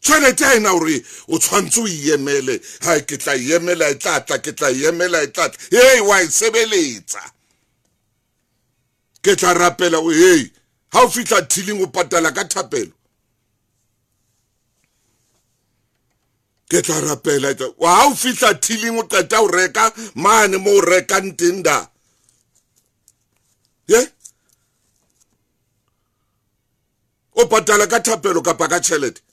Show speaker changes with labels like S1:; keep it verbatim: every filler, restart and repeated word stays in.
S1: Tjhelete ha ena hore o tshwantse o e emele. Ha ke tla e emela e tla tla, ke tla e emela e tla tla. Hey, wa e sebeletsa. Ke tla rapela o hey, ha o fihla thiling o patala ka thapelo. Ke tla rapela ha o fihla thiling o qeta o reka mane mo o rekang teng da. Ye? O patala ka thapelo kapa ka tjhelete.